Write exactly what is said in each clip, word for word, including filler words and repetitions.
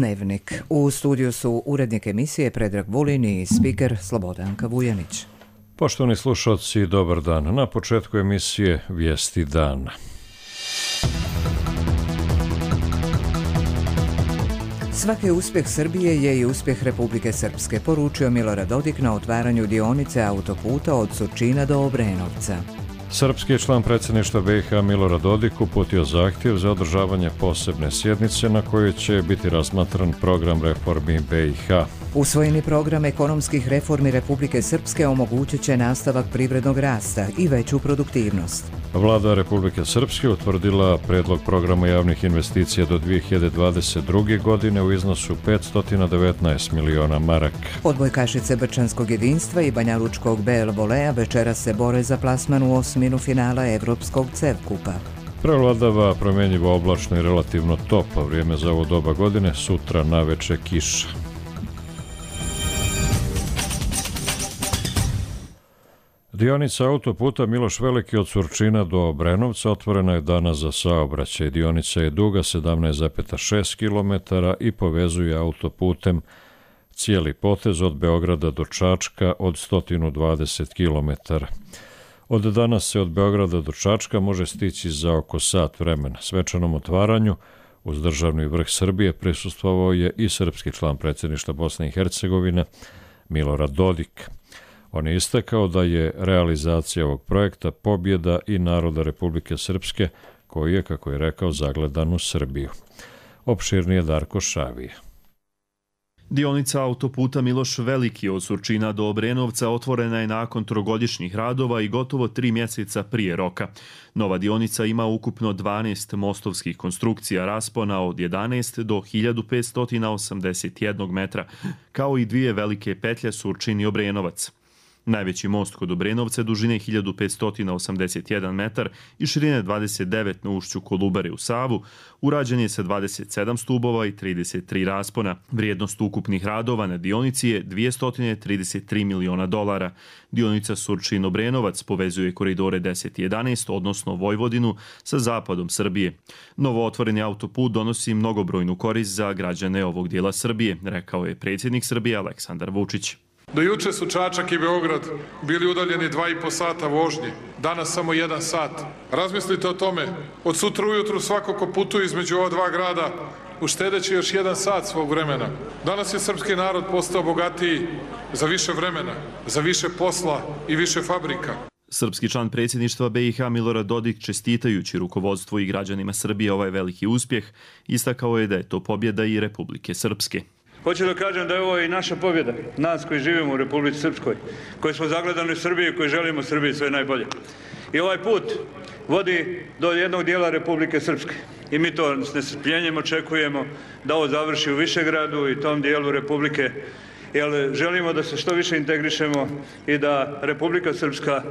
Dnevnik. U studiju su urednik emisije Predrag Vulin i spiker Slobodanka Vujanić. Poštovani slušalci, dobar dan. Na početku emisije Vijesti dana. Svaki uspjeh Srbije je i uspjeh Republike Srpske, poručio Milorad Dodik na otvaranju dionice autoputa od Surčina do Obrenovca. Srpski član predsjedništva B i H Milorad Dodik uputio zahtjev za održavanje posebne sjednice na kojoj će biti razmatran program reformi B i H. Usvojeni program ekonomskih reformi Republike Srpske omogućit će nastavak privrednog rasta i veću produktivnost. Vlada Republike Srpske utvrdila predlog programa javnih investicija do dvije hiljade dvadeset druge. godine u iznosu petsto devetnaest miliona maraka. Odbojkašice Brčanskog jedinstva i banjalučkog B L volea večeras se bore za plasman u osminu finala Evropskog CEV kupa. Prevladava promjenjivo oblačno i relativno toplo vrijeme za ovo doba godine, sutra naveče kiša. Dionica autoputa Miloš Veliki od Surčina do Obrenovca otvorena je danas za saobraćaj. Dionica je duga sedamnaest zarez šest kilometara i povezuje autoputem cijeli potez od Beograda do Čačka od sto dvadeset kilometara. Od danas se od Beograda do Čačka može stići za oko sat vremena. Svečanom otvaranju uz državni vrh Srbije prisustvovao je i srpski član predsjedništva Bosne i Hercegovine Milorad Dodik. On je istakao da je realizacija ovog projekta pobjeda i naroda Republike Srpske, koji je, kako je rekao, zagledan u Srbiju. Opširnije Darko Šavije. Dionica autoputa Miloš Veliki od Surčina do Obrenovca otvorena je nakon trogodišnjih radova i gotovo tri mjeseca prije roka. Nova dionica ima ukupno dvanaest mostovskih konstrukcija raspona od jedanaest do hiljadu petsto osamdeset jedan metra, kao i dvije velike petlje Surčin i Obrenovac. Najveći most kod Obrenovca dužine hiljadu petsto osamdeset jedan metar i širine dvadeset devet na ušću Kolubare u Savu, urađen je sa dvadeset sedam stubova i trideset tri raspona. Vrijednost ukupnih radova na dionici je dvjesto trideset tri miliona dolara. Dionica Surčin-Obrenovac povezuje koridore deset i jedanaest, odnosno Vojvodinu, sa zapadom Srbije. Novo otvoreni autoput donosi mnogobrojnu korist za građane ovog dijela Srbije, rekao je predsjednik Srbije Aleksandar Vučić. Do juče su Čačak i Beograd bili udaljeni dva i po sata vožnje, danas samo jedan sat. Razmislite o tome, od sutra ujutru svako ko putuje između ova dva grada uštedeći još jedan sat svog vremena. Danas je srpski narod postao bogatiji za više vremena, za više posla i više fabrika. Srpski član predsjedništva B i H Milorad Dodik, čestitajući rukovodstvu i građanima Srbije ovaj veliki uspjeh, istakao je da je to pobjeda i Republike Srpske. Hoću da kažem da je ovo i naša pobjeda, nas koji živimo u Republici Srpskoj, koji smo zagledani u Srbiji, koji želimo Srbiji sve najbolje. I ovaj put vodi do jednog dijela Republike Srpske. I mi to s nestrpljenjem očekujemo da ovo završi u Višegradu i tom dijelu Republike, jer želimo da se što više integrišemo i da Republika Srpska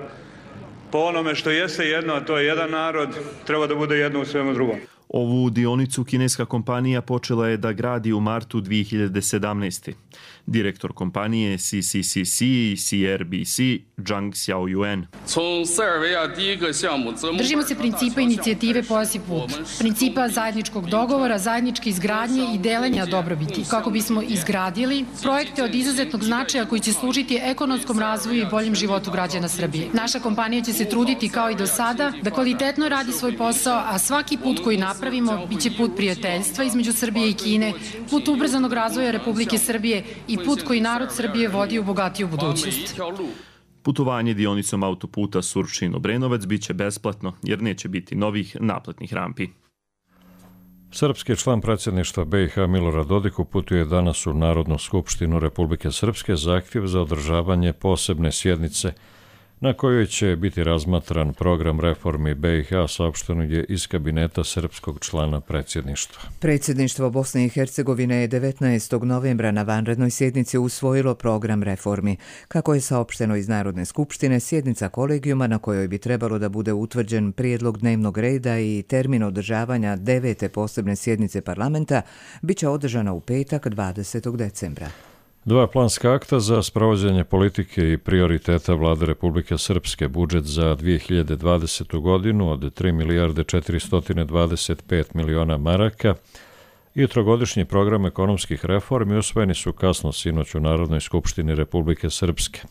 po onome što jeste jedno, a to je jedan narod, treba da bude jedno u svemu drugom. Ovu dionicu kineska kompanija počela je da gradi u martu dvije hiljade sedamnaeste. Direktor kompanije C C C C i C R B C Zhang Xiaoyuan. Držimo se principa inicijative Pojasi put, principa zajedničkog dogovora, zajedničke izgradnje i delenja dobrobiti, kako bismo izgradili projekte od izuzetnog značaja koji će služiti ekonomskom razvoju i boljem životu građana Srbije. Naša kompanija će se truditi kao i do sada da kvalitetno radi svoj posao, a svaki put koji napravimo biće put prijateljstva između Srbije i Kine, put ubrzanog razvoja Republike Srbije i put koji narod Srbije vodi u bogatiju budućnost. Putovanje dionicom autoputa Surčin-Obrenovac biće besplatno, jer neće biti novih naplatnih rampi. Srpski član predsjedništva B i H Milorad Dodik uputuje danas u Narodnu skupštinu Republike Srpske zahtjev za održavanje posebne sjednice na kojoj će biti razmatran program reformi B i H, saopšteno je iz kabineta srpskog člana predsjedništva. Predsjedništvo Bosne i Hercegovine je devetnaestog novembra na vanrednoj sjednici usvojilo program reformi. Kako je saopšteno iz Narodne skupštine, sjednica kolegijuma na kojoj bi trebalo da bude utvrđen prijedlog dnevnog reda i termin održavanja devete posebne sjednice parlamenta biće održana u petak dvadesetog decembra. Dva planska akta za sprovođenje politike i prioriteta Vlade Republike Srpske, budžet za dvije hiljade dvadesetu. godinu od tri milijarde četiristo dvadeset pet miliona maraka i trogodišnji program ekonomskih reformi usvojeni su kasno sinoć u Narodnoj skupštini Republike Srpske.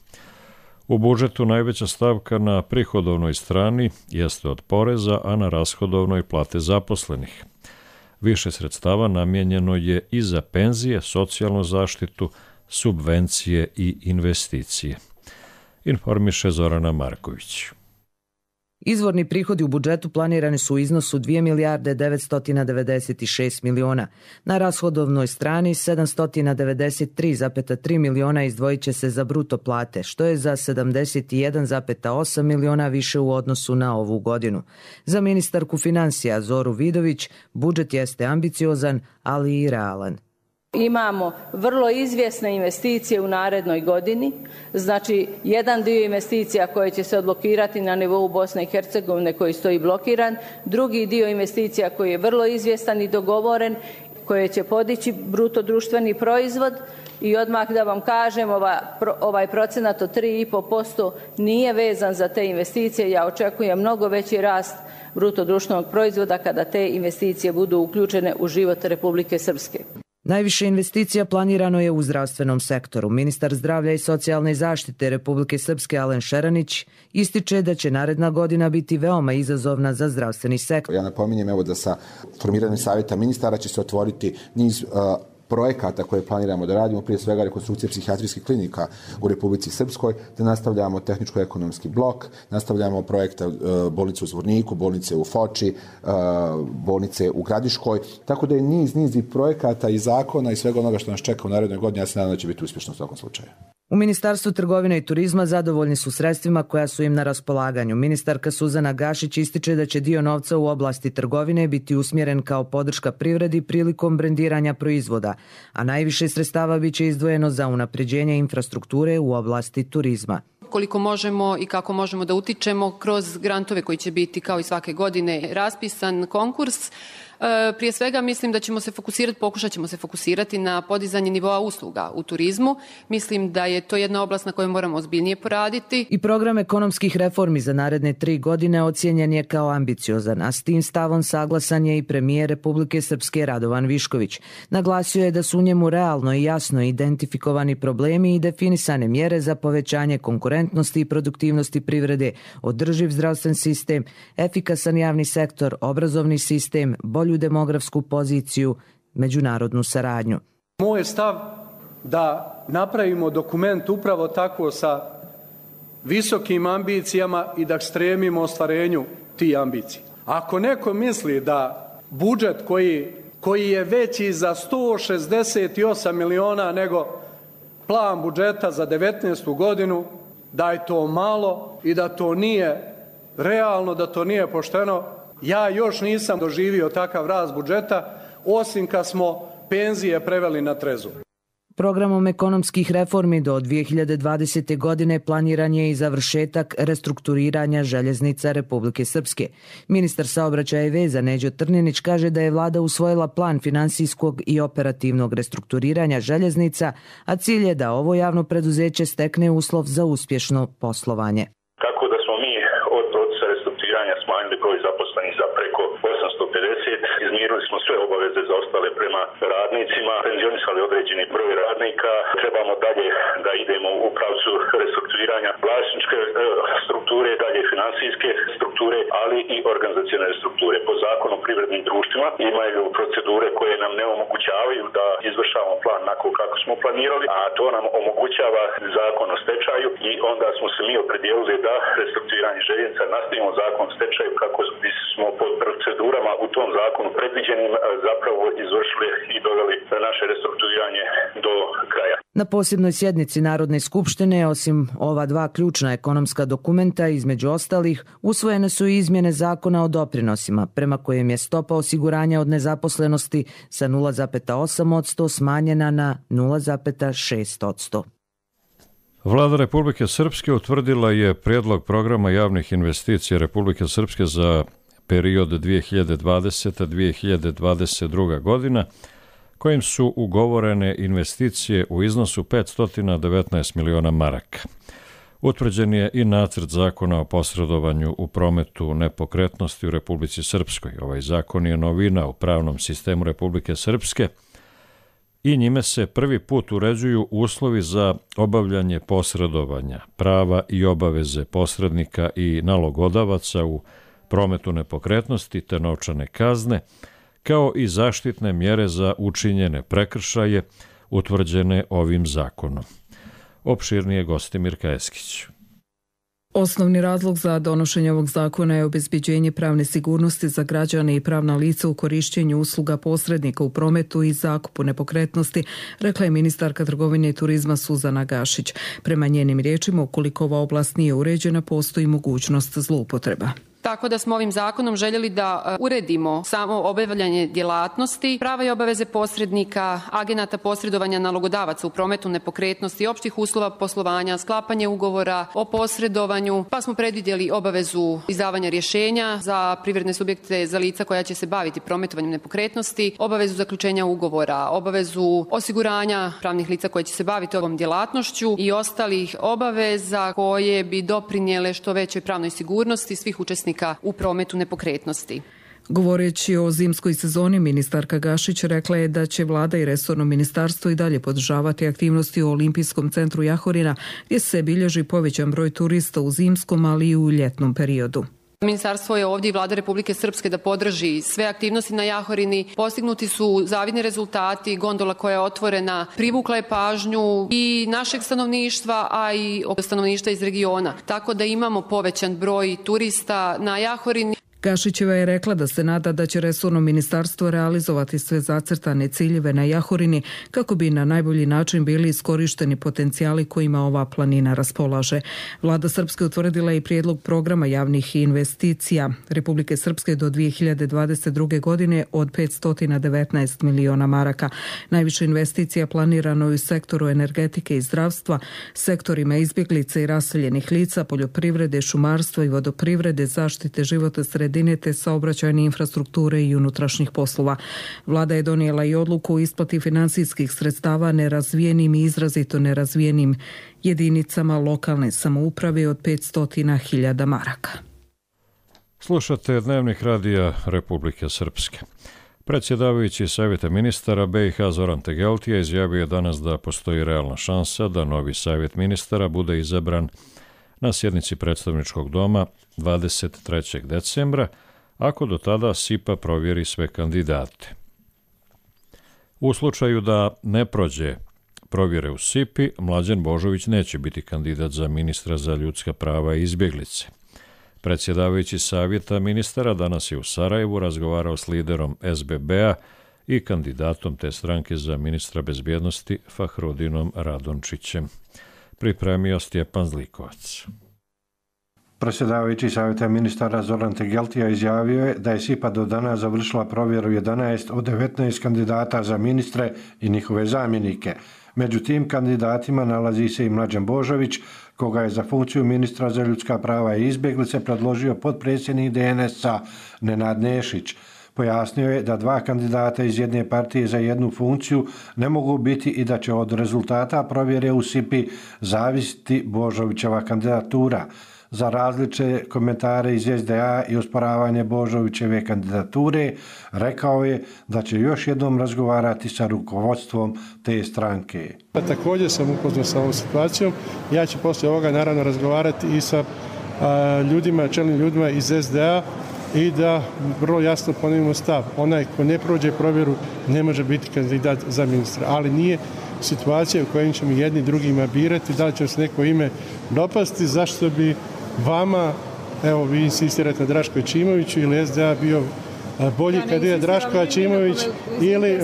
U budžetu najveća stavka na prihodovnoj strani jeste od poreza, a na rashodovnoj plate zaposlenih. Više sredstava namijenjeno je i za penzije, socijalnu zaštitu, subvencije i investicije. Informiše Zorana Marković. Izvorni prihodi u budžetu planirani su u iznosu dvije milijarde devetsto devedeset šest miliona. Na rashodovnoj strani sedamsto devedeset tri zarez tri miliona izdvojit će se za bruto plate, što je za sedamdeset jedan zarez osam miliona više u odnosu na ovu godinu. Za ministarku finansija Zoru Vidović budžet jeste ambiciozan, ali i realan. Imamo vrlo izvjesne investicije u narednoj godini, znači jedan dio investicija koje će se odblokirati na nivou Bosne i Hercegovine koji stoji blokiran, drugi dio investicija koji je vrlo izvjestan i dogovoren, koje će podići bruto društveni proizvod i odmah da vam kažem ova, ovaj procenat od tri i pol posto nije vezan za te investicije, ja očekujem mnogo veći rast bruto društvenog proizvoda kada te investicije budu uključene u život Republike Srpske. Najviše investicija planirano je u zdravstvenom sektoru. Ministar zdravlja i socijalne zaštite Republike Srpske Alen Šeranić ističe da će naredna godina biti veoma izazovna za zdravstveni sektor. Ja napominjem evo da sa formiranjem savjeta ministara će se otvoriti niz uh, projekata koje planiramo da radimo, prije svega rekonstrukcije psihijatrijskih klinika u Republici Srpskoj, da nastavljamo tehničko-ekonomski blok, nastavljamo projekte uh, bolnice u Zvorniku, bolnice u Foči, uh, bolnice u Gradiškoj, tako da je niz, niz i projekata i zakona i svega onoga što nas čeka u narednoj godini, ja se nadam da će biti uspješno u svakom slučaju. U Ministarstvu trgovine i turizma zadovoljni su sredstvima koja su im na raspolaganju. Ministarka Suzana Gašić ističe da će dio novca u oblasti trgovine biti usmjeren kao podrška privredi prilikom brendiranja proizvoda, a najviše sredstava biće izdvojeno za unapređenje infrastrukture u oblasti turizma. Koliko možemo i kako možemo da utičemo kroz grantove koji će biti kao i svake godine raspisan konkurs. Prije svega mislim da ćemo se fokusirati, pokušat ćemo se fokusirati na podizanje nivoa usluga u turizmu. Mislim da je to jedna oblast na kojoj moramo ozbiljnije poraditi. I program ekonomskih reformi za naredne tri godine ocijenjen je kao ambiciozan, a s tim stavom saglasan je i premijer Republike Srpske Radovan Višković. Naglasio je da su u njemu realno i jasno identifikovani problemi i definisane mjere za povećanje konkurentnosti i produktivnosti privrede, održiv zdravstven sistem, efikasan javni sektor, obrazovni sistem, bolju demografsku poziciju, međunarodnu saradnju. Moj je stav da napravimo dokument upravo tako sa visokim ambicijama i da stremimo ostvarenju tih ambicija. Ako neko misli da budžet koji, koji je veći za sto šezdeset osam miliona nego plan budžeta za devetnaestu godinu, da je to malo i da to nije realno, da to nije pošteno, ja još nisam doživio takav rast budžeta, osim kad smo penzije preveli na trezor. Programom ekonomskih reformi do dvije hiljade dvadesete. godine planiran je i završetak restrukturiranja željeznica Republike Srpske. Ministar saobraćaja i veza Neđo Trninić kaže da je vlada usvojila plan finansijskog i operativnog restrukturiranja željeznica, a cilj je da ovo javno preduzeće stekne uslov za uspješno poslovanje. Kako da smo mi od procesa restrukturiranja smanjili broj zaposlenih za preko osamsto pedeset, izmirili smo sve obaveze zaostale prema radnicima, penzionisali određeni broj radnika, trebamo dalje da idemo u pravcu restrukturiranja vlasničke strukture, dalje finansijske strukture, ali i organizacione strukture. Po zakonu o privrednim društvima imaju procedure koje nam ne omogućavaju da izvršavamo plan onako kako smo planirali, a to nam omogućava zakon o stečaju i onda smo se mi opredijelili da restrukturiranje željeznica nastavimo zakon o stečaju kako bismo pod procedurama u tom zakonu predviđenim zapravo izvršili i doveli naše restrukturiranje do kraja. Na posebnoj sjednici Narodne skupštine, osim ova dva ključna ekonomska dokumenta, između ostalih, usvojene su i izmjene zakona o doprinosima, prema kojem je stopa osiguranja od nezaposlenosti sa nula zarez osam posto smanjena na nula zarez šest posto. Vlada Republike Srpske utvrdila je prijedlog programa javnih investicija Republike Srpske za period dvije hiljade dvadesete do dvije hiljade dvadeset druga. godina, kojim su ugovorene investicije u iznosu petsto devetnaest miliona maraka. Utvrđen je i nacrt zakona o posredovanju u prometu nepokretnosti u Republici Srpskoj. Ovaj zakon je novina u pravnom sistemu Republike Srpske i njime se prvi put uređuju uslovi za obavljanje posredovanja, prava i obaveze posrednika i nalogodavaca u prometu nepokretnosti te novčane kazne, kao i zaštitne mjere za učinjene prekršaje utvrđene ovim zakonom. Opširnije Gostimir Kajeskić. Osnovni razlog za donošenje ovog zakona je obezbeđenje pravne sigurnosti za građane i pravna lica u korišćenju usluga posrednika u prometu i zakupu nepokretnosti, rekla je ministarka trgovine i turizma Suzana Gašić. Prema njenim riječima, ukoliko ova oblast nije uređena, postoji mogućnost zloupotreba. Tako da smo ovim zakonom željeli da uredimo samo obavljanje djelatnosti, prava i obaveze posrednika, agenata posredovanja nalogodavaca u prometu nepokretnosti, opštih uslova poslovanja, sklapanje ugovora o posredovanju, pa smo predvidjeli obavezu izdavanja rješenja za privredne subjekte, za lica koja će se baviti prometovanjem nepokretnosti, obavezu zaključenja ugovora, obavezu osiguranja pravnih lica koje će se baviti ovom djelatnošću i ostalih obaveza koje bi doprinijele što većoj pravnoj sigurnosti svih učesnika u prometu nepokretnosti. Govoreći o zimskoj sezoni, ministarka Gašić rekla je da će vlada i resorno ministarstvo i dalje podržavati aktivnosti u Olimpijskom centru Jahorina, gdje se bilježi povećan broj turista u zimskom, ali i u ljetnom periodu. Ministarstvo je ovdje i vlada Republike Srpske da podrži sve aktivnosti na Jahorini. Postignuti su zavidni rezultati, gondola koja je otvorena privukla je pažnju i našeg stanovništva, a i stanovništva iz regiona. Tako da imamo povećan broj turista na Jahorini. Gašićeva je rekla da se nada da će resorno ministarstvo realizovati sve zacrtane ciljeve na Jahorini kako bi na najbolji način bili iskorišteni potencijali kojima ova planina raspolaže. Vlada Srpske utvrdila i prijedlog programa javnih investicija Republike Srpske do dvije hiljade dvadeset druge. godine od petsto devetnaest miliona maraka. Najviše investicija planirano je u sektoru energetike i zdravstva, sektorima izbjeglice i raseljenih lica, poljoprivrede, šumarstva i vodoprivrede, zaštite životne sredine te saobraćajne infrastrukture i unutrašnjih poslova. Vlada je donijela i odluku o isplati financijskih sredstava nerazvijenim i izrazito nerazvijenim jedinicama lokalne samouprave od petsto hiljada maraka. Slušate Dnevnik radija Republike Srpske. Predsjedavajući Savjeta ministara B i H Zoran Tegeltija izjavio je danas da postoji realna šansa da novi Savjet ministara bude izabran na sjednici predstavničkog doma dvadeset trećeg decembra, ako do tada S I P A provjeri sve kandidate. U slučaju da ne prođe provjere u S I P I, Mlađan Božović neće biti kandidat za ministra za ljudska prava i izbjeglice. Predsjedavajući Savjeta ministara danas je u Sarajevu razgovarao s liderom S B B-a i kandidatom te stranke za ministra bezbjednosti Fahrudinom Radončićem. Pripremio Stjepan Zlikovac. Predsjedavajući Savjeta ministara Zoran Tegeltija izjavio je da je S I P A do danas završila provjeru jedanaest od devetnaest kandidata za ministre i njihove zamjenike. Među tim kandidatima nalazi se i Mlađan Božović, koga je za funkciju ministra za ljudska prava i izbjeglice predložio potpredsjednik D N S-a Nenad Nešić. Pojasnio je da dva kandidata iz jedne partije za jednu funkciju ne mogu biti i da će od rezultata provjere u S I P I zavisiti Božovićeva kandidatura. Za različite komentare iz S D A i osporavanje Božovićeve kandidature, rekao je da će još jednom razgovarati sa rukovodstvom te stranke. Također sam upoznao sa ovom situacijom. Ja ću poslije ovoga naravno razgovarati i sa a, ljudima, čelnim ljudima iz S D A i da vrlo jasno ponovimo stav. Onaj ko ne prođe provjeru ne može biti kandidat za ministra, ali nije situacija u kojoj ćemo jedni drugima birati, da li će se neko ime dopasti, zašto bi vama, evo vi insistirate na Draško Aćimoviću ili S D A bio bolji ja kandidat Draško Aćimović ili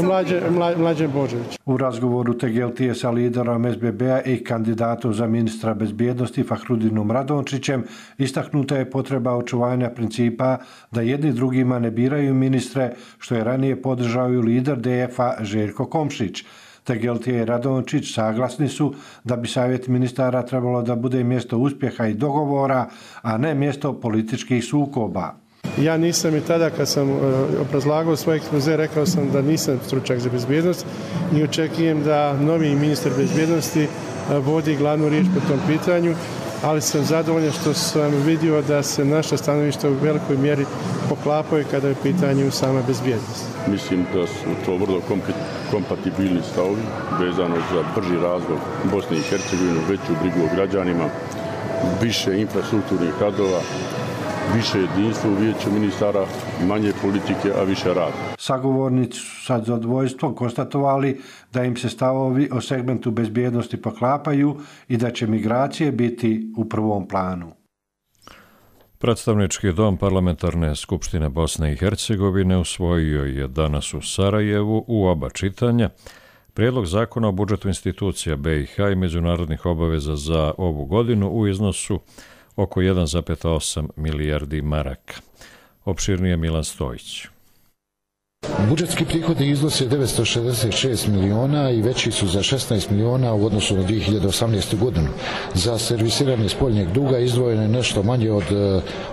Mlađan Božović. U razgovoru Tegeltije sa liderom S B B-a i kandidatom za ministra bezbjednosti Fahrudinom Radončićem istaknuta je potreba očuvanja principa da jedni drugima ne biraju ministre, što je ranije podržao i lider D F-a Željko Komšić. Tegeltije i Radončić saglasni su da bi Savjet ministara trebalo da bude mjesto uspjeha i dogovora, a ne mjesto političkih sukoba. Ja nisam i tada kad sam obrazlagao svoj ekspoze rekao sam da nisam stručnjak za bezbjednost i očekujem da novi ministar bezbjednosti vodi glavnu riječ po tom pitanju ali sam zadovoljan što sam vidio da se naša stanovišta u velikoj mjeri poklapaju kada je u pitanju sama bezbjednost. Mislim da su to vrlo kompatibilni stavovi vezano za brži razvoj Bosne i Hercegovine, veću brigu o građanima, više infrastrukturnih radova, više jedinstva u vijeću ministara, manje politike, a više rada. Sagovornici su sad zadovoljstvom konstatovali da im se stavovi o segmentu bezbjednosti poklapaju i da će migracije biti u prvom planu. Predstavnički dom Parlamentarne skupštine Bosne i Hercegovine usvojio je danas u Sarajevu u oba čitanja Prijedlog zakona o budžetu institucija be i ha i međunarodnih obaveza za ovu godinu u iznosu oko jedan zarez osam milijardi maraka. Opširnije Milan Stojić. Budžetski prihodi iznose devetsto šezdeset šest miliona i veći su za šesnaest miliona u odnosu na dvije hiljade osamnaestu. godinu. Za servisiranje spoljnjeg duga izdvojeno je nešto manje od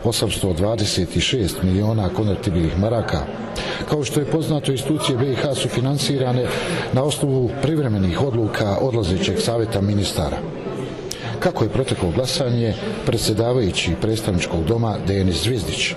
osamsto dvadeset šest miliona konvertibilnih maraka. Kao što je poznato, institucije be i ha su finansirane na osnovu privremenih odluka odlazećeg savjeta ministara. Kako je proteklo glasanje, predsjedavajući predstavničkog doma Denis Zvizdić.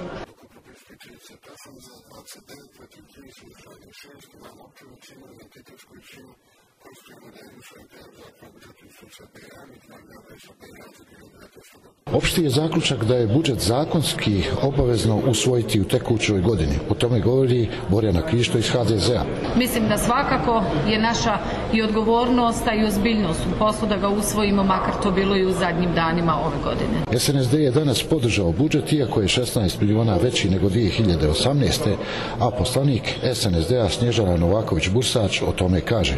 Opšti je zaključak da je budžet zakonski obavezno usvojiti u tekućoj godini. O tome govori Borjana Krišto iz ha de zea. Mislim da svakako je naša i odgovornost, a i ozbiljnost u poslu da ga usvojimo, makar to bilo i u zadnjim danima ove godine. es en es de je danas podržao budžet, iako je šesnaest miliona veći nego dvije hiljade osamnaeste. a poslanik es en es de-a Snježana Novaković-Bursač o tome kaže.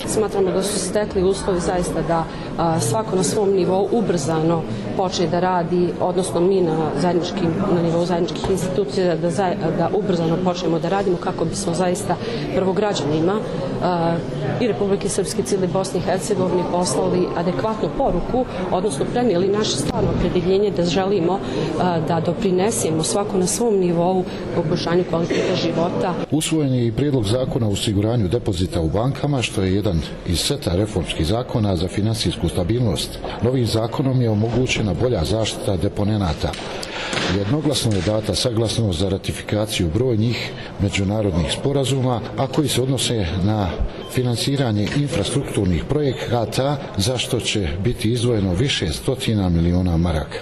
Smatramo da su stekli uslovi zaista da a, svako na svom nivou ubrzano počne da radi, odnosno mi na, zajedničkim, na nivou zajedničkih institucija da, za, da ubrzano počnemo da radimo kako bismo zaista prvo građanima a, i Republike Srpske, cijele Bosne i Hercegovine poslali adekvatnu poruku, odnosno prenijeli naše stvarno opredjeljenje da želimo a, da doprinesemo svako na svom nivou poboljšanju kvaliteta života. Usvojen je i prijedlog zakona o osiguranju depozita u bankama, što je jedan iz seta reformskih zakona za finansijsku stabilnost. Novim zakonom je omogućena bolja zaštita deponenata. Jednoglasno je data saglasnost za ratifikaciju brojnih međunarodnih sporazuma, a koji se odnose na finansiranje infrastrukturnih projekata, za što će biti izdvojeno više stotina miliona maraka.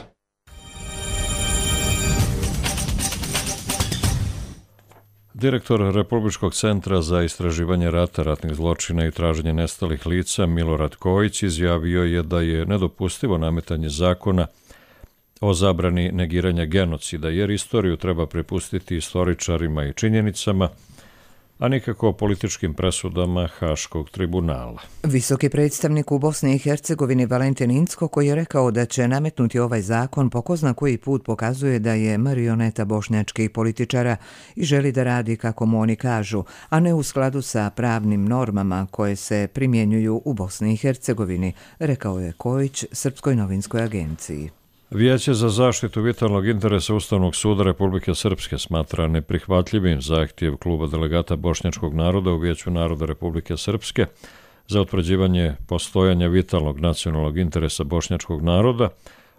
Direktor Republičkog centra za istraživanje rata, ratnih zločina i traženje nestalih lica Milorad Kojić izjavio je da je nedopustivo nametanje zakona o zabrani negiranja genocida, jer istoriju treba prepustiti istoričarima i činjenicama, a nikako političkim presudama Haškog tribunala. Visoki predstavnik u Bosni i Hercegovini Valentin Incko, koji je rekao da će nametnuti ovaj zakon, po ko zna koji put pokazuje da je marioneta bošnjačkih političara i želi da radi kako mu oni kažu, a ne u skladu sa pravnim normama koje se primjenjuju u Bosni i Hercegovini, rekao je Kojić Srpskoj novinskoj agenciji. Vijeće za zaštitu vitalnog interesa Ustavnog suda Republike Srpske smatra neprihvatljivim zahtjev kluba delegata bošnjačkog naroda u Vijeću naroda Republike Srpske za utvrđivanje postojanja vitalnog nacionalnog interesa bošnjačkog naroda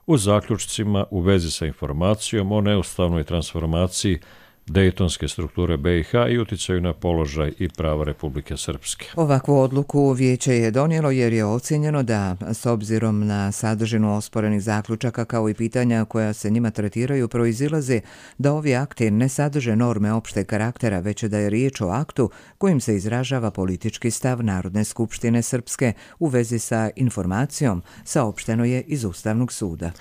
u zaključcima u vezi sa informacijom o neustavnoj transformaciji dejtonske strukture be i ha i uticaju na položaj i prava Republike Srpske. Ovakvu odluku vijeće je donijelo jer je ocjenjeno da, s obzirom na sadržinu osporenih zaključaka kao i pitanja koja se njima tretiraju, proizilaze da ovi akti ne sadrže norme opšteg karaktera, već da je riječ o aktu kojim se izražava politički stav Narodne skupštine Srpske u vezi sa informacijom, saopšteno je iz Ustavnog suda.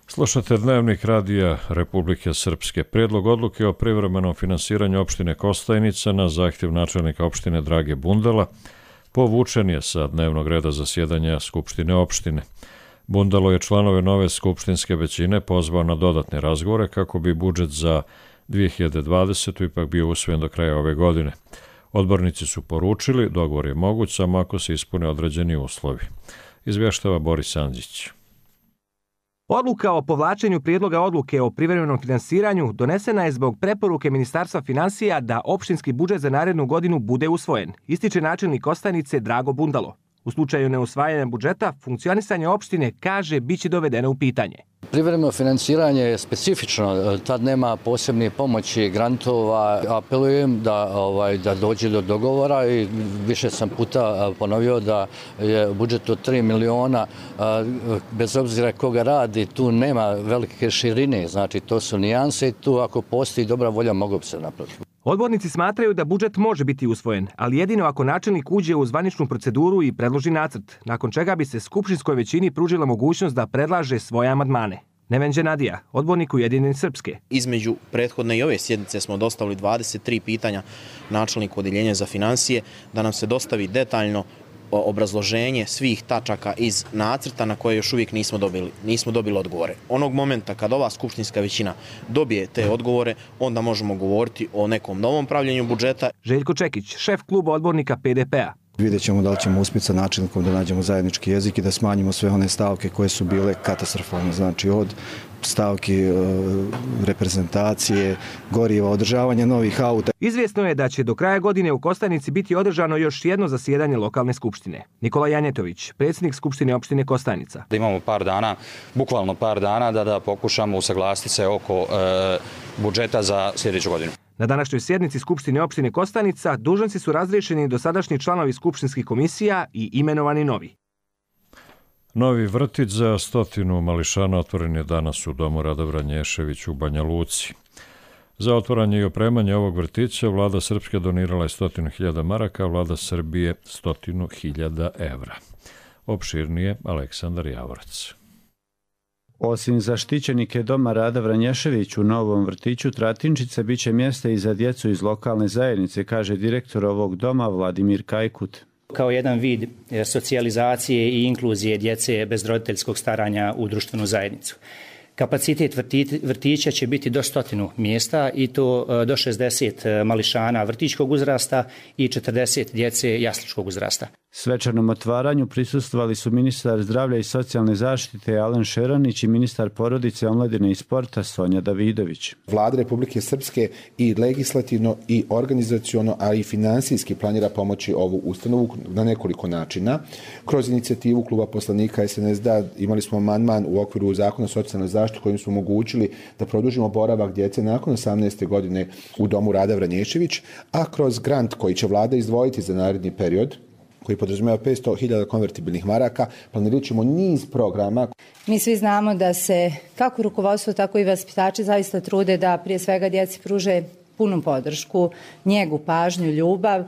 Slušate Dnevnik radija Republike Srpske. Prijedlog odluke o privremenom finansiranju opštine Kostajnica na zahtjev načelnika opštine Drage Bundala povučen je sa dnevnog reda zasjedanja Skupštine opštine. Bundalo je članove nove skupštinske većine pozvao na dodatne razgovore kako bi budžet za dvije hiljade dvadesetu. ipak bio usvojen do kraja ove godine. Odbornici su poručili dogovor je moguć samo ako se ispune određeni uslovi. Izvještava Boris Andžić. Odluka o povlačenju prijedloga odluke o privremenom finansiranju donesena je zbog preporuke Ministarstva finansija da opštinski budžet za narednu godinu bude usvojen, ističe načelnik Kostajnice Drago Bundalo. U slučaju neusvajanja budžeta, funkcionisanje opštine, kaže, biće dovedeno u pitanje. Privremeno finansiranje je specifično, tad nema posebne pomoći grantova. Apelujem da, ovaj, da dođe do dogovora i više sam puta ponovio da je budžet od tri miliona, bez obzira koga radi, tu nema velike širine, znači to su nijanse i tu ako postoji dobra volja mogu bi se napraviti. Odbornici smatraju da budžet može biti usvojen, ali jedino ako načelnik uđe u zvaničnu proceduru i predloži nacrt, nakon čega bi se skupštinskoj većini pružila mogućnost da predlaže svoje amandmane. Nevenđe Nadija, odbornik Ujedinjene Srpske. Između prethodne i ove sjednice smo dostavili dvadeset tri pitanja načelniku odeljenja za finansije da nam se dostavi detaljno obrazloženje svih tačaka iz nacrta na koje još uvijek nismo dobili, nismo dobili odgovore. Onog momenta kad ova skupštinska većina dobije te odgovore, onda možemo govoriti o nekom novom pravljenju budžeta. Željko Čekić, šef kluba odbornika P D P-a. Vidjet ćemo da li ćemo uspjeti sa načelnikom da nađemo zajednički jezik i da smanjimo sve one stavke koje su bile katastrofalne. Znači od stavki e, reprezentacije, goriva, održavanja novih auta. Izvjesno je da će do kraja godine u Kostajnici biti održano još jedno zasjedanje lokalne skupštine. Nikola Janjetović, predsjednik skupštine opštine Kostajnica. Da imamo par dana, bukvalno par dana, da, da pokušamo usaglasiti se oko e, budžeta za sljedeću godinu. Na današnjoj sjednici Skupštine opštine Kostajnica dužnosnici su razriješeni dosadašnji članovi skupštinskih komisija i imenovani novi. Novi vrtić za stotinu mališana otvoren je danas u domu Rada Vranješević u Banja Luci. Za otvaranje i opremanje ovog vrtića vlada Srpske donirala je stotinu hiljada maraka, a vlada Srbije stotinu hiljada evra. Opširnije Aleksandar Javorac. Osim za štićenike doma Rada Vranješević u novom vrtiću Tratinčice biće mjesta i za djecu iz lokalne zajednice, kaže direktor ovog doma Vladimir Kajkut. Kao jedan vid socijalizacije i inkluzije djece bez roditeljskog staranja u društvenu zajednicu. Kapacitet vrtića će biti do stotinu mjesta i to do šezdeset mališana vrtićkog uzrasta i četrdeset djece jasličkog uzrasta. Svečanom otvaranju prisustvovali su ministar zdravlja i socijalne zaštite Alen Šeranić i ministar porodice, omladine i sporta Sonja Davidović. Vlada Republike Srpske i legislativno i organizaciono, a i finansijski planira pomoći ovu ustanovu na nekoliko načina. Kroz inicijativu kluba poslanika S N S D imali smo amandman u okviru zakona o socijalnoj zaštiti kojim smo omogućili da produžimo boravak djece nakon osamnaeste godine u domu Rada Vranješević, a kroz grant koji će vlada izdvojiti za naredni period, koji podrazumijeva petsto hiljada konvertibilnih maraka, planirat ćemo niz programa. Mi svi znamo da se kako rukovodstvo, tako i vaspitači zaista trude da prije svega djeci pruže punu podršku, njegu, pažnju, ljubav,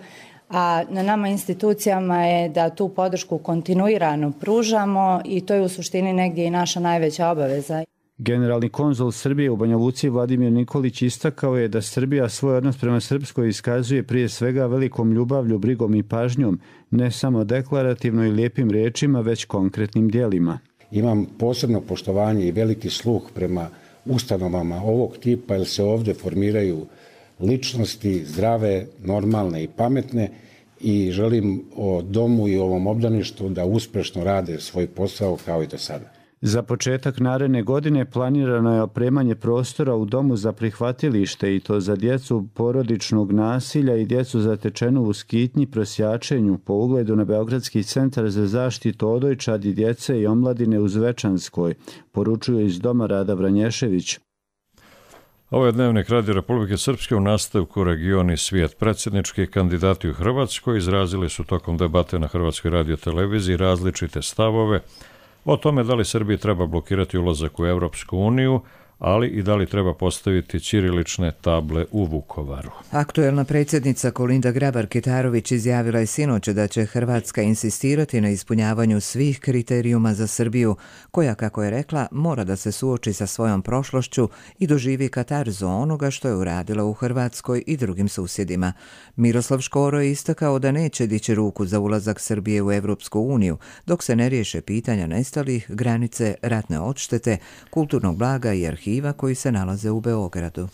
a na nama institucijama je da tu podršku kontinuirano pružamo i to je u suštini negdje i naša najveća obaveza. Generalni konzul Srbije u Banja Luci Vladimir Nikolić istakao je da Srbija svoj odnos prema Srpskoj iskazuje prije svega velikom ljubavlju, brigom i pažnjom, ne samo deklarativno i lijepim riječima, već konkretnim djelima. Imam posebno poštovanje i veliki sluh prema ustanovama ovog tipa, jer se ovdje formiraju ličnosti zdrave, normalne i pametne i želim o domu i ovom obdaništu da uspješno rade svoj posao kao i do sada. Za početak naredne godine planirano je opremanje prostora u domu za prihvatilište i to za djecu porodičnog nasilja i djecu zatečenu u skitnji, prosjačenju po ugledu na Beogradski centar za zaštitu odojčadi, djece i omladine u Zvečanskoj, poručuje iz doma Rada Vranješević. Ovo je Dnevnik Radio Republike Srpske u nastavku Region i svijet. Predsjednički kandidati u Hrvatskoj izrazili su tokom debate na Hrvatskoj radioteleviziji različite stavove o tome da li Srbiji treba blokirati ulazak u Evropsku uniju, ali i da li treba postaviti ćirilične table u Vukovaru. Aktuelna predsjednica Kolinda Grabar-Kitarović izjavila je sinoć da će Hrvatska insistirati na ispunjavanju svih kriterijuma za Srbiju, koja, kako je rekla, mora da se suoči sa svojom prošlošću i doživi katarzu onoga što je uradila u Hrvatskoj i drugim susjedima. Miroslav Škoro je istakao da neće dići ruku za ulazak Srbije u Evropsku uniju, dok se ne riješe pitanja nestalih, granice, ratne odštete, kulturnog blaga i arhiva koji se nalaze u Beogradu.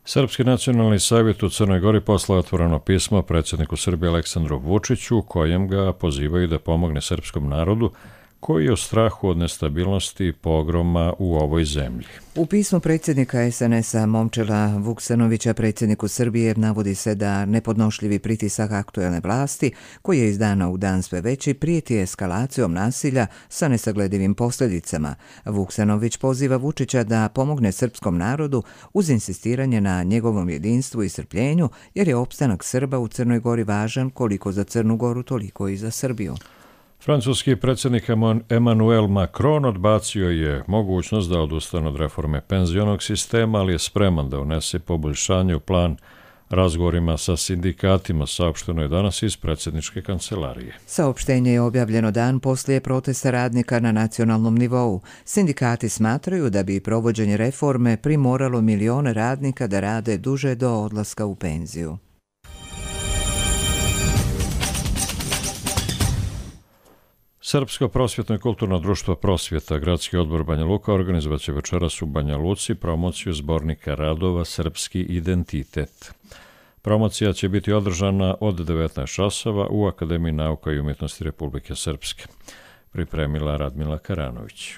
Srpski nacionalni savjet u Crnoj Gori poslao otvoreno pismo predsjedniku Srbije Aleksandru Vučiću, kojem ga pozivaju da pomogne srpskom narodu koji je u strahu od nestabilnosti i pogroma u ovoj zemlji. U pismu predsjednika es en es a Momčila Vuksanovića predsjedniku Srbije navodi se da nepodnošljivi pritisak aktuelne vlasti, koji je iz dana u dan sve veći, prijeti eskalacijom nasilja sa nesagledivim posljedicama. Vuksanović poziva Vučića da pomogne srpskom narodu uz insistiranje na njegovom jedinstvu i strpljenju, jer je opstanak Srba u Crnoj Gori važan koliko za Crnu Goru, toliko i za Srbiju. Francuski predsjednik Emmanuel Macron odbacio je mogućnost da odustane od reforme penzionog sistema, ali je spreman da unese poboljšanje u plan razgovorima sa sindikatima, saopšteno je danas iz predsjedničke kancelarije. Saopštenje je objavljeno dan poslije protesta radnika na nacionalnom nivou. Sindikati smatraju da bi provođenje reforme primoralo milione radnika da rade duže do odlaska u penziju. Srpsko prosvjetno i kulturno društvo Prosvjeta, Gradski odbor Banja Luka, organizovat će večeras u Banja Luci promociju zbornika radova Srpski identitet. Promocija će biti održana od devetnaest časova u Akademiji nauka i umjetnosti Republike Srpske. Pripremila Radmila Karanović.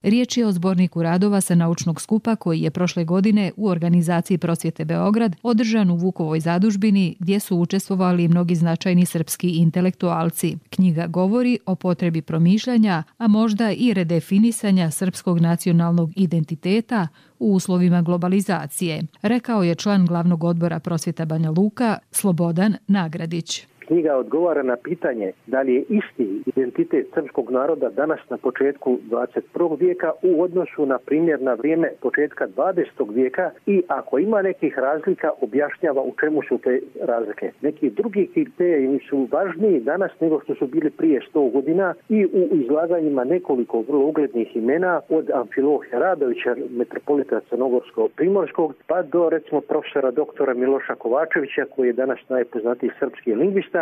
Riječ je o zborniku radova sa naučnog skupa koji je prošle godine u organizaciji Prosvjete Beograd održan u Vukovoj zadužbini gdje su učestvovali mnogi značajni srpski intelektualci. Knjiga govori o potrebi promišljanja, a možda i redefinisanja srpskog nacionalnog identiteta u uslovima globalizacije, rekao je član glavnog odbora Prosvjeta Banja Luka Slobodan Nagradić. Knjiga odgovara na pitanje da li je isti identitet srpskog naroda danas na početku dvadeset prvog vijeka u odnosu na primjer na vrijeme početka dvadesetog vijeka i ako ima nekih razlika objašnjava u čemu su te razlike. Neki drugi kriteriji su važniji danas nego što su bili prije sto godina i u izlaganjima nekoliko vrlo uglednih imena od Amfilohija Radovića, metropolita Crnogorsko-Primorskog, pa do recimo profesora doktora Miloša Kovačevića koji je danas najpoznatiji srpski lingvista,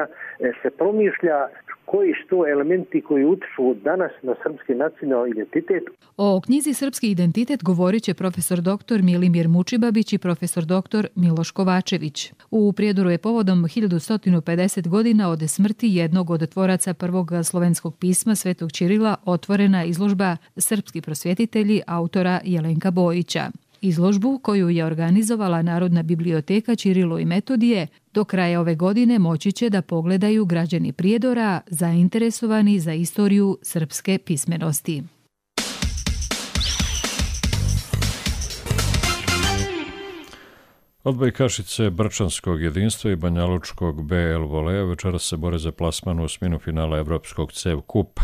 se promišlja koji su to elementi koji utiču danas na srpski nacionalni identitet. O knjizi Srpski identitet govorit će profesor doktor Milimir Mučibabić i profesor doktor Miloš Kovačević. U Prijedoru je povodom hiljadu sto pedeset godina od smrti jednog od tvoraca prvog slovenskog pisma Svetog Ćirila otvorena izložba Srpski prosvjetitelji autora Jelenka Bojića. Izložbu koju je organizovala Narodna biblioteka Ćirilo i Metodije do kraja ove godine moći će da pogledaju građani Prijedora zainteresovani za istoriju srpske pismenosti. Odbojkašice Brčanskog jedinstva i Banjalučkog B L Volea večeras se bore za plasman u osminu finala Evropskog CEV kupa.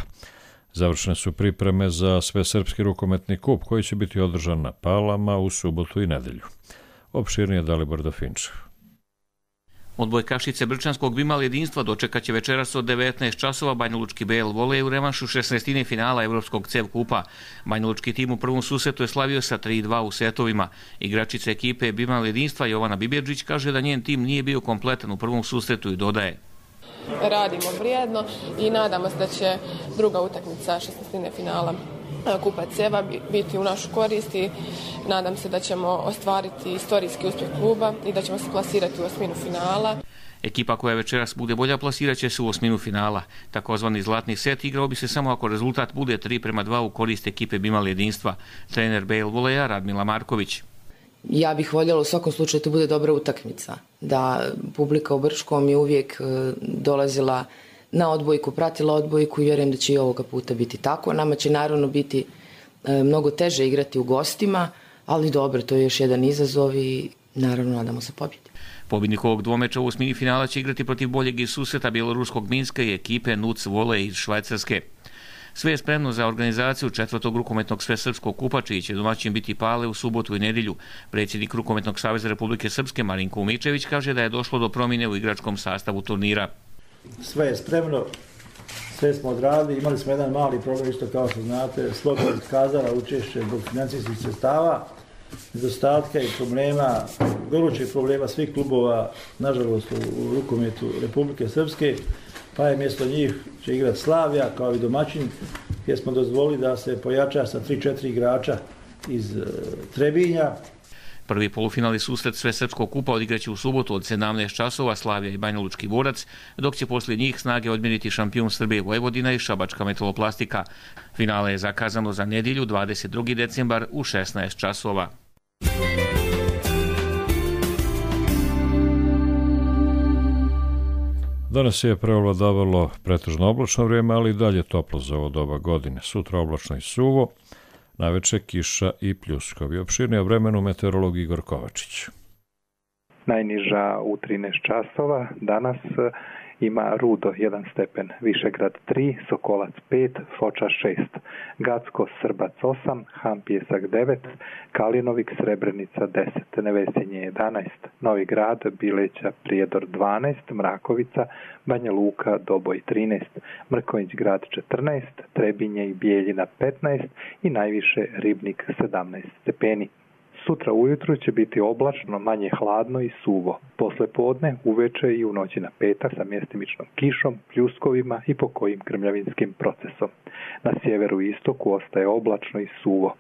Završene su pripreme za svesrpski rukometni kup koji će biti održan na Palama u subotu i nedelju. Opširnije Dalibor Dofinčev. Odbojkašice Brčanskog Bimal jedinstva dočekat će večeras od devetnaest časova Banjalučki B L Volej u revanšu šesnaestine finala Evropskog CEV kupa. Banjalučki tim u prvom susretu je slavio sa tri dva u setovima. Igračica ekipe Bimal jedinstva Jovana Bibjerđić kaže da njen tim nije bio kompletan u prvom susretu i dodaje: radimo vrijedno i nadamo se da će druga utakmica šesnaestine finala Kupa CEV-a biti u našu korist i nadam se da ćemo ostvariti istorijski uspjeh kluba i da ćemo se plasirati u osminu finala. Ekipa koja večeras bude bolja plasirat će se u osminu finala. Takozvani zlatni set igrao bi se samo ako rezultat bude tri prema dva u korist ekipe Bimal jedinstva. Trener B L Voleja Radmila Marković. Ja bih voljela u svakom slučaju da bude dobra utakmica, da publika u Brčkom je uvijek dolazila na odbojku, pratila odbojku i vjerujem da će i ovoga puta biti tako. Nama će naravno biti mnogo teže igrati u gostima, ali dobro, to je još jedan izazov i naravno nadamo se pobjedi. Pobjednik ovog dvomeča u osmini finala će igrati protiv boljeg iz susreta bjeloruskog Minska i ekipe N U C Volej iz Švajcarske. Sve je spremno za organizaciju četvrtog rukometnog svesrpskog kupa, čiji će domaćin biti Pale u subotu i nedjelju. Predsjednik Rukometnog saveza Republike Srpske Marinko Umičević kaže da je došlo do promjene u igračkom sastavu turnira. Sve je spremno, sve smo odradili, imali smo jedan mali problem, isto kao što znate, Sloga je iskazala učešće zbog financijskih sredstava, nedostatka i problema, gorućih problema svih klubova, nažalost u rukometu Republike Srpske, pa je mjesto njih će igrati Slavija kao i domaćin, gdje smo dozvolili da se pojača sa tri četiri igrača iz Trebinja. Prvi polufinalni susret Svesrpskog kupa odigraće u subotu od sedamnaest časova Slavija i Banjalučki Borac, dok će poslije njih snage odmjeriti šampion Srbije Vojvodina i Šabačka Metaloplastika. Finale je zakazano za nedjelju dvadeset drugi decembar u šesnaest časova. Danas je preovladavalo pretežno oblačno vrijeme, ali i dalje toplo za ovo doba godine. Sutra oblačno i suvo, naveče kiša i pljuskovi. Opširnije o vremenu meteorolog Igor Kovačić. Najniža u trinaest časova, danas ima Rudo jedan stepen, Višegrad tri, Sokolac pet, Foča šest, Gacko, Srbac osam, Han Pjesak devet, Kalinovik, Srebrenica deset, Nevesinje jedanaest, Novi Grad, Bileća, Prijedor dvanaest, Mrakovica, Banja Luka, Doboj trinaest, Mrkonjić Grad četrnaest, Trebinje i Bijeljina petnaest i najviše Ribnik sedamnaest stepeni. Sutra ujutru će biti oblačno, manje hladno i suvo. Posle podne, uveče i u noći na petak sa mjestimičnom kišom, pljuskovima i pokojim grmljavinskim procesom. Na sjeveru i istoku ostaje oblačno i suvo.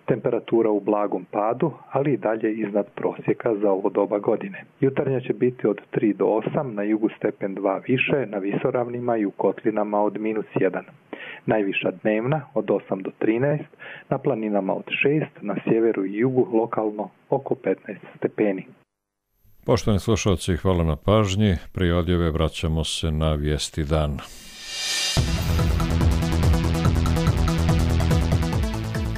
Temperatura u blagom padu, ali i dalje iznad prosjeka za ovo doba godine. Jutarnja će biti od tri do osam, na jugu stepen dva više, na visoravnima i u kotlinama od minus jedan. Najviša dnevna od osam do trinaest, na planinama od šest, na sjeveru i jugu lokalno oko petnaest stepeni. Poštovani slušalci, hvala na pažnji. Prije odjave vraćamo se na vijesti dana.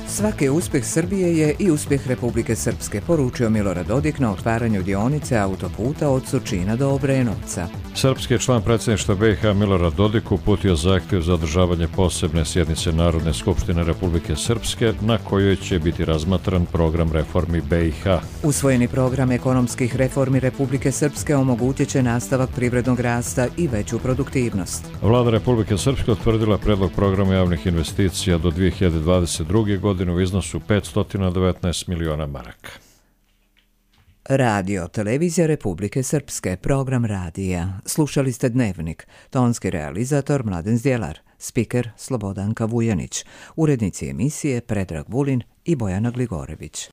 Svaki uspjeh Srbije je i uspjeh Republike Srpske, poručio Milorad Dodik na otvaranju dionice autoputa od Surčina do Obrenovca. Srpski član predsjedništva B i H Milorad Dodik uputio zahtjev za održavanje posebne sjednice Narodne skupštine Republike Srpske, na kojoj će biti razmatran program reformi B i H. Usvojeni program ekonomskih reformi Republike Srpske omogućit će nastavak privrednog rasta i veću produktivnost. Vlada Republike Srpske utvrdila predlog programa javnih investicija do dvije hiljade dvadeset druge. godine u iznosu petsto devetnaest miliona maraka. Radio Televizija Republike Srpske, program radija. Slušali ste Dnevnik, tonski realizator Mladen Zdjelar, spiker Slobodanka Vujanić, urednici emisije Predrag Vulin i Bojana Gligorević.